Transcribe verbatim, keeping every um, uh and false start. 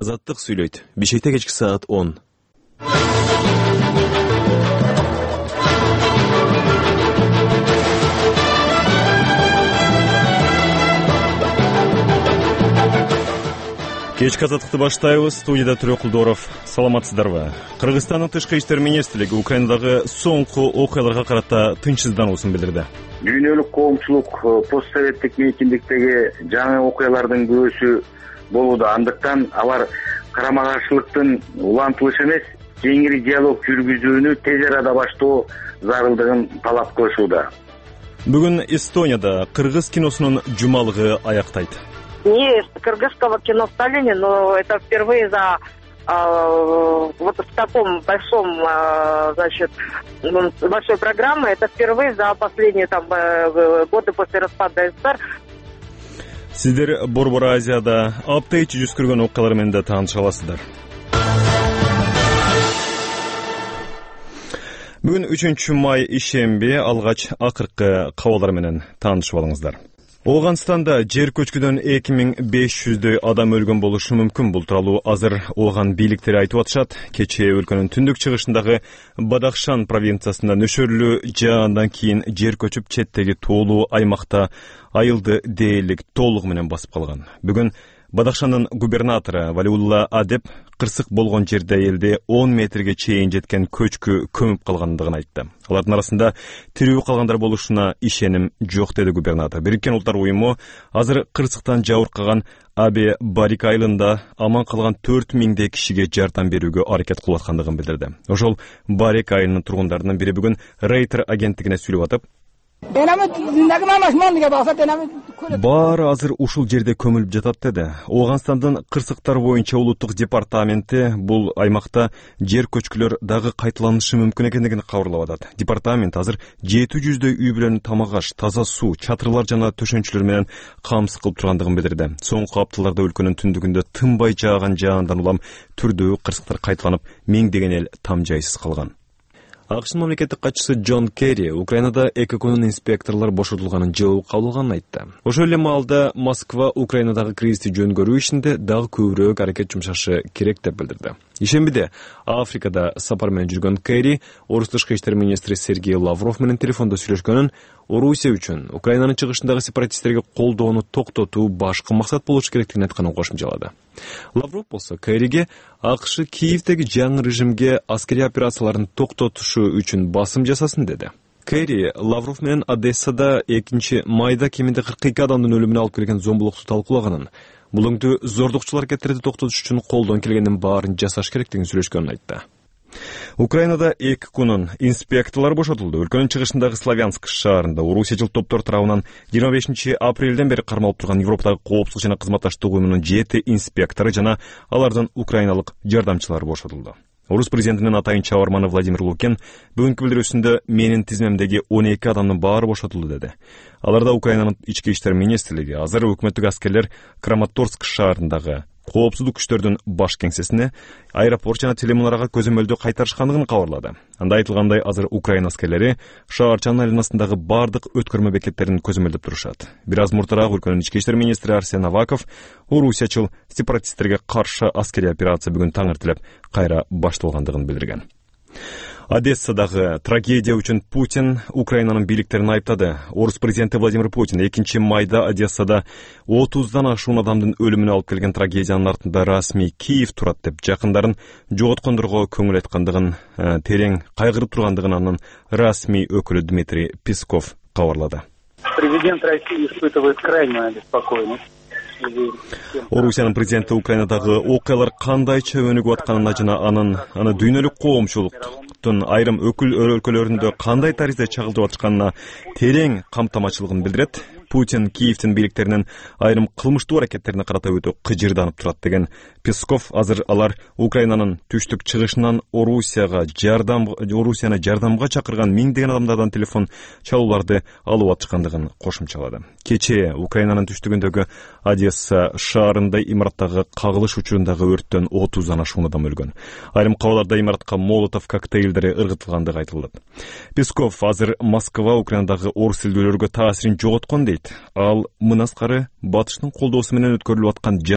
Азаттык сүйлөйт. Бишкекте кечки саат он. Кечки азаттыкты баштайбыз. Студияда Түрө Кулдоров. Саламатсыздарбы? Кыргызстандын тышкы иштер министрлиги Украинадагы соңку окуяларга карата тынчсыздануусун билдирди. Дүйнөлүк коомчулук постсоветтик эркиндиктеги жаңы окуялардын күбөсү болууда. Андыктан алар карама каршылыктын улантылышы эмес, кеңири диалог жүргүзүүнү тез арада баштоо зарылдыгын талап кылышууда. Бүгүн Эстонияда кыргыз киносунун жумалыгы аяктайт. Есть кыргызского кино в Сталине, но это впервые за э, вот в таком большом, э, значит, большой программе, это впервые за последние там э, годы после распада СССР. Сиздер Борбор Азияда апта ичи жүз көргөн окуялар менен да тааныша аласыздар. Бүгүн үчүнчү май ишемби, алгач акыркы кабарлар менен таанышып алыңыздар. Оганстанда жер көчкүдөн эки миң беш жүздөй адам өлгөн болушу мүмкүн. Бул тууралуу азыр Оган бийликтери айтып атышат. Кечээ өлкөнүн түндүк чыгышындагы Бадахшан провинциясында нөшөрлүү жаандан кийин жер көчүп четтеги тоолуу аймакта айылды дээрлик толугу менен басып калган. Бүгүн Бадахшандын губернатору Валиулла Адеп кырсык болгон жерде элди он метрге чейин жеткен көчкү көмүп калгандыгын айтты. Алардын арасында тирүү калгандар болушуна ишеним жок, деди губернатор. Бириккен Улуттар уюму азыр кырсыктан жабыркаган Абе Барик айылында аман калган төрт миңдей кишиге жардам берүүгө аракет кылып аткандыгын билдирди. Ошол Барик айылынын тургундарынын бири бүгүн Рейтер агенттигине сүйлөп атып, баары азыр ушул жерде көмүлүп жатат, деди. Оганстандын кырсыктар боюнча улуттук департаменти бул аймакта жер көчкүлөр дагы кайталанышы мүмкүн экендигин кабарлап атат. Департамент азыр жети жүздөй үй бүлөнү тамак аш, таза суу, чатырлар жана төшөнчүлөр менен камсыз кылып тургандыгын билдирди. Соңку апталарда өлкөнүн түндүгүндө тынбай жааган жаандан улам түрдүү кырсыктар кайталанып, миңдеген эл там жайсыз калган. АКШнын мамлекеттик катчысы Джон Керри Украинада эки күнүн инспекторлор бошотулганын жабып кабылганын айтты. Ошол эле маалда Москва Украинадагы кризисти жөнгөрүү ишинде дагы көбүрөөк аракет жумшашы керек деп билдирди. Ишембиде Африкада сапар менен жүргөн Керри орус тышкы иштер министри Сергей Лавров менен телефондо сүйлөшкөнүн, Орусия үчүн Украинанын чыгышындагы сепаратисттерге колдоону токтотуу башкы максат болушу керектигин айтканын кошумчалады. Лавров болсо Керриге АКШ Киевдеги жаңы режимге аскерий операцияларын токтотушу үчүн басым жасасын, деди. Керри Лавров менен Одессада экинчи майда кеминде кырк эки адамдын өлүмүнө алып келген зомбулукту талкуулаганын, бул өңдү зордукчул аракеттерди токтотуш үчүн колдон келгендин баарын жасаш керектигин сүйлөшкөнүн айтты. Украинада эки күнүн инспекторлор бошотулду. Өлкөнүн чыгышындагы Славянск шаарында орусиячыл топтор тарабынан жыйырма бешинчи апрелден бери кармалып турган Европадагы коопсуздук жана кызматташтык уюмунун жети инспектору жана алардын украиналык жардамчылары бошотулду. Орус президентинин атайын чабарманы Владимир Лукин бүгүнкү билдирүүсүндө менин тизмемдеги он эки адамдын баары бошотулду, деди. Аларда Украинанын ички иштер министрлиги, азыр өкмөттүк аскерлер Краматорск шаарындагы коопсуздук күчтөрдүн баш кеңсесине, аэропорт жана телемунарага көзөмөлдү кайтарышкандыгын кабарлады. Анда айтылгандай, азыр Украина аскерлери шаарчанын айланасындагы бардык өткөрмө бекеттерин көзөмөлдөп турушат. Бир аз муртараак өлкөнүн ички иштер министри Арсен Аваков орусиячыл сепаратисттерге каршы аскерий операция бүгүн таң эртелеп кайра башталгандыгын билдирген. Одессадагы трагедия үчүн Путин Украинанын бийликтерин айыптады. Орус президенти Владимир Путин экинчи майда Одессада отуздан ашуун адамдын өлүмүнө алып келген трагедиянын артында расмий Киев турат деп жакындарын жоготкондорго көңүл айткандыгын, терең кайгырып тургандыгын анын расмий өкүлү Дмитрий Песков кабарлады. Президент России испытывает крайнюю обеспокоенность. Орусиянын президенти Украинадагы окуялар кандайча өнүгүп атканына жана анын аны дүйнөлүк коомчулуктун айрым өкүл өлкөлөрүндө кандай таризде чагылдырып атканына терең камтамачылыгын билдирет. Путин Киевдин бийликтеринин айрым кылмыштуу аракеттерине карата өтө кыжырданып турат, деген Песков. Азыр алар Украинанын түштүк чыгышынан Орусияга жардам Орусияны жардамга чакырган миңдеген адамдардан телефон чалууларды алып атышкандыгын кошумчалады. Кечээ Украинанын түштүгүндөгү Одесса шаарында имараттагы кагылыш учурундагы өрттөн отуздан ашуун адам өлгөн. Айрым кабарларда имаратка молотов коктейлдери ыргытылгандыгы айтылды. Песков азыр Москва Украинадагы орус элдүүлөргө таасирин жоготкон дейт. Ал мындан аскары батыштын колдоосу менен өткөрүлүп аткан